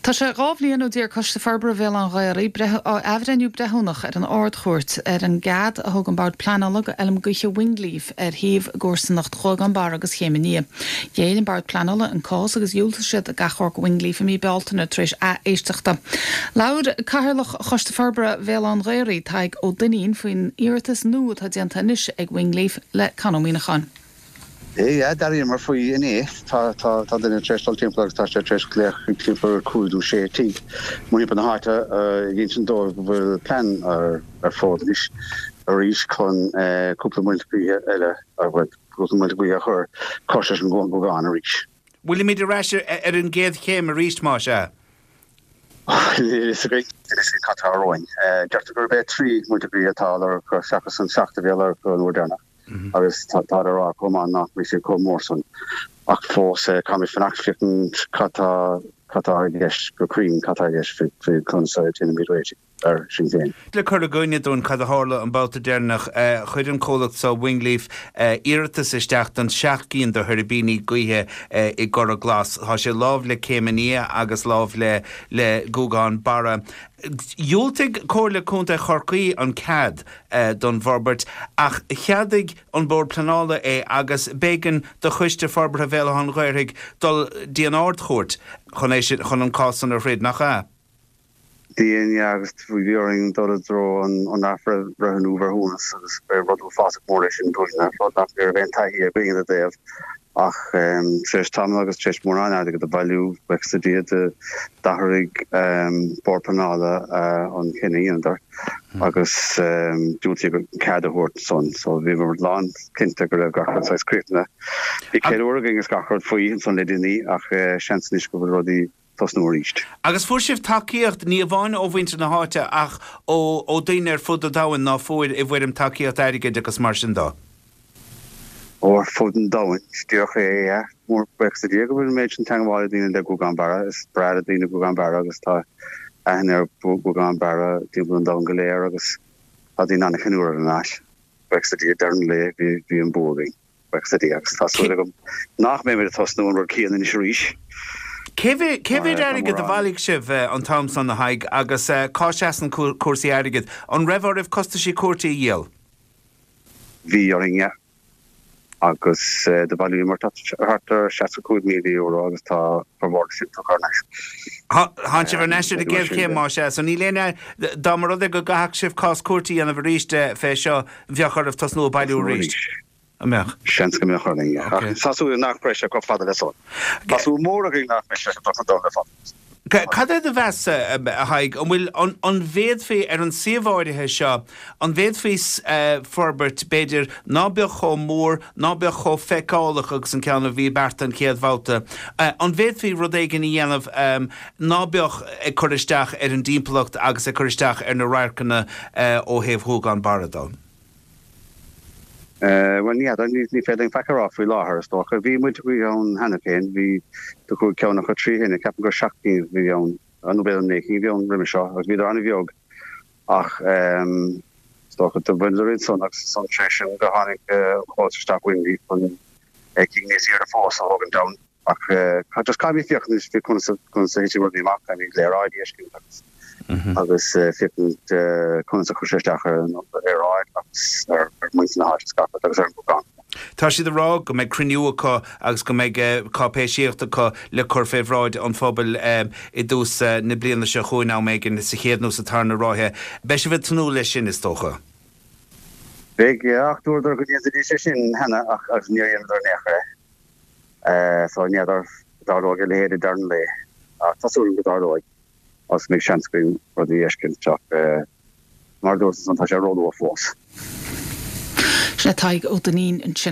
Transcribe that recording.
Tá sé 2 bhliain ó d'iarr Coiste Forbartha Bhéal Átha an Ghaorthaidh athbhreithniú breithiúnach ar an Ard-Chúirt ar an gcead a thug an Bord Pleanála do fheilm gaoithe Wingleaf ar shuíomh i gcomharsanacht Ghuagán Barra agus Chéim an Fhia. Ghéill an Bord Pleanála an cás agus dhiúltaigh siad d'achomharc Wingleaf i mí Bealtaine tar éis ath-éisteachta. Labhair Cathaoirleach Choiste Forbartha Bhéal Átha an Ghaorthaidh, Tadhg Ó Duinnín, faoin iarratas nua atá déanta anois ag Wingleaf le Con Ó Muíneacháin. Yeah, d'airíomar faoi inné. Tá, tá, tá duine tar éis dul timpeall agus tá sé tar éis glaoch chuig timpeall ar chúig nó sé tigh mórthimpeall na háite ag insint dóibh go bhfuil plean ar, ar fód anois arís chun cúpla muilte gaoithe eile, bhuel, cúpla muilte gaoithe a chur cois leis an nGuagán arís. Bhfuilimid ar ais ar an gcéad chéim arís, más ea? Níl a fhios againn. Níl a fhios againn cad tá romhainn. Deirtear gurb é 3 muilte gaoithe atá á lorg acu seachas an 7 a bhí á lorg acu an uair deireanach. agus táthar ag rá chomh maith nach mbeidh siad chomh mór san ach fós caithfimid fanacht féachaint cad tá cad tá i gceist go cruinn cad tá i gceist faoi conas a déanfaimid réitigh air sin féin. Le cur i gcuimhne dúinn cad a tharla an babhta deireanach, chuir an comhlacht seo, Wingleaf, iarratas isteach don seacht gcinn de thuirbíní gaoithe i gCora Glas. Tá sé lámh le Céim an Fhia agus lámh le le Guagán Barra. Dhiúltaigh Comhairle Contae Chorcaí an cead don bhforbairt ach cheadaigh an Bord Pleanála é agus b'éigean do Choiste Forbartha Bhéal Átha an Ghaorthaidh dul dtí an Ard-Chúirt chun é sin, chun an cás san a throid, nach ea? Bhí, yeah, agus bhí orainn dul i dtreo an athbhreithniú bhreithiúnas agus ba rud uafásach mór é sin dúinne, rud nach raibh aon taithí againn ina dtaobh. Ach tar éis tamaill agus tar éis mórán airgid a bhailiú, buíochas le Dia, d'athraigh Bord Pleanála an cinneadh a dheineadar agus diúltaíodh an cead a thabhairt ansan. So bhíomar lán cinnte go raibh gach rud saghas críochnaithe. Bhí ceiliúradh againn is gach rud faoi ansan le déanaí ach seans anois go bhfuil rudaí tosnú arís. Agus fuair sibh tacaíocht, ní amháin ó mhuintir na háite ach ó ó daoine ar fud an domhain ná fuair i bhfoirm tacaíocht airgid agus mar sin dó. Ó ar fud an domhain, díreach é, yeah. Mór buíochas le Dia go bhfuil an méid sin teangmháil ag daoine le Guagán Barra. Is breá le daoine Guagán Barra agus tá aithne ar Ghuagán Barra timpeall an domhain go léir agus tá daoine an-cheiliúradh ar an áit. Buíochas le Dia, deireadh an lae bhí bhí an bua againn. Buíochas le Dia agus tá súil agam nach mbeimid ag tosnú an rud céanna anois arís. Cé mhéad cé mhéad airgead a bhailigh sibh an t-am san, a Thaidhg, agus cá seasann cúrsaí airgid? An raibh oraibh costaisí cúirte a dhíol? Bhí orainn, yeah. Agus do bhailíomar thart ar €65,000 agus tá formhór de sin tugtha thar n-ais. Tánn sibh thar n-ais ar an gcéad chéim, más ea. So níl aon, dá mba rud é go gcaithfeadh sibh cás cúirte a dhéanamh arís fé seo, bheadh oraibh tosnú ag bailiú arís. An mbeadh? Seans go mbeadh orainn, yeah. Ach tá súil nach mbeidh sé chomh fada le san. Tá súil mhór againn nach mbeidh sé chomh dona le fada. Cad é do mheas, a Thaidhg, an bhfuil, an bhféadfaí, ar an suíomh áirithe seo, an bhféadfaí forbairt, b'fhéidir, ná beadh chomh mór, ná beadh chomh feiceálach agus an ceann a bhí beartaithe an chéad bhabhta, an bhféadfaí rud éigin a dhéanamh ná beadh ag cur isteach ar an dtimpeallacht agus ag cur isteach ar na radharcanna ó thaobh Ghuagán Barra dó? Bhuel, ní fheadar, ní féidir linn faic a rá faoi láthair, is dócha. Bhí muilte gaoithe ann cheana féin, bhí do chuaigh ceann acu trí thine, ceapaim gur 7 gcinn a bhí ann, nó b'fhéidir 9 cinn a bhí ann roimhe seo, agus bhíodar an-bheag ach is dócha do bhaineadar iad san agus ansan tar éis sin do tháinig an comhlacht isteach Wingleaf chun cinn níos aoirde fós a thógaint ann. Ach just caithfimid féachaint anois faoi conas a conas a thitfidh rudaí amach, caithfimid léaráidí a fheiscint agus agus féachaint conas a chuir sé isteach ar an aeráid agus ar muintir na háite is gach rud agus ar an nGuagán. Tá siad ag rá go mbeidh cruinniú acu agus go mbeidh cáipéisíocht acu le cur fé bhráid an phobail i dtús na bliana seo chugainn, am éigin sa chéad nó sa tarna ráithe. Beidh sibh ag tnúth leis sin, is dócha. Beidh, ach dúradar go ndéanfaidís é sin cheana ach agus níor dheineadar in aon chor é. So n'fheadar an dtarlóidh a leithéid i deireadh an lae. Ach tá súil agam go dtarlóidh agus go mbeidh seans againn rudaí a fheiscint ach mar a dúirt ansan tá sé róluath fós. Sin é Tadhg Ó Duinnín ansin.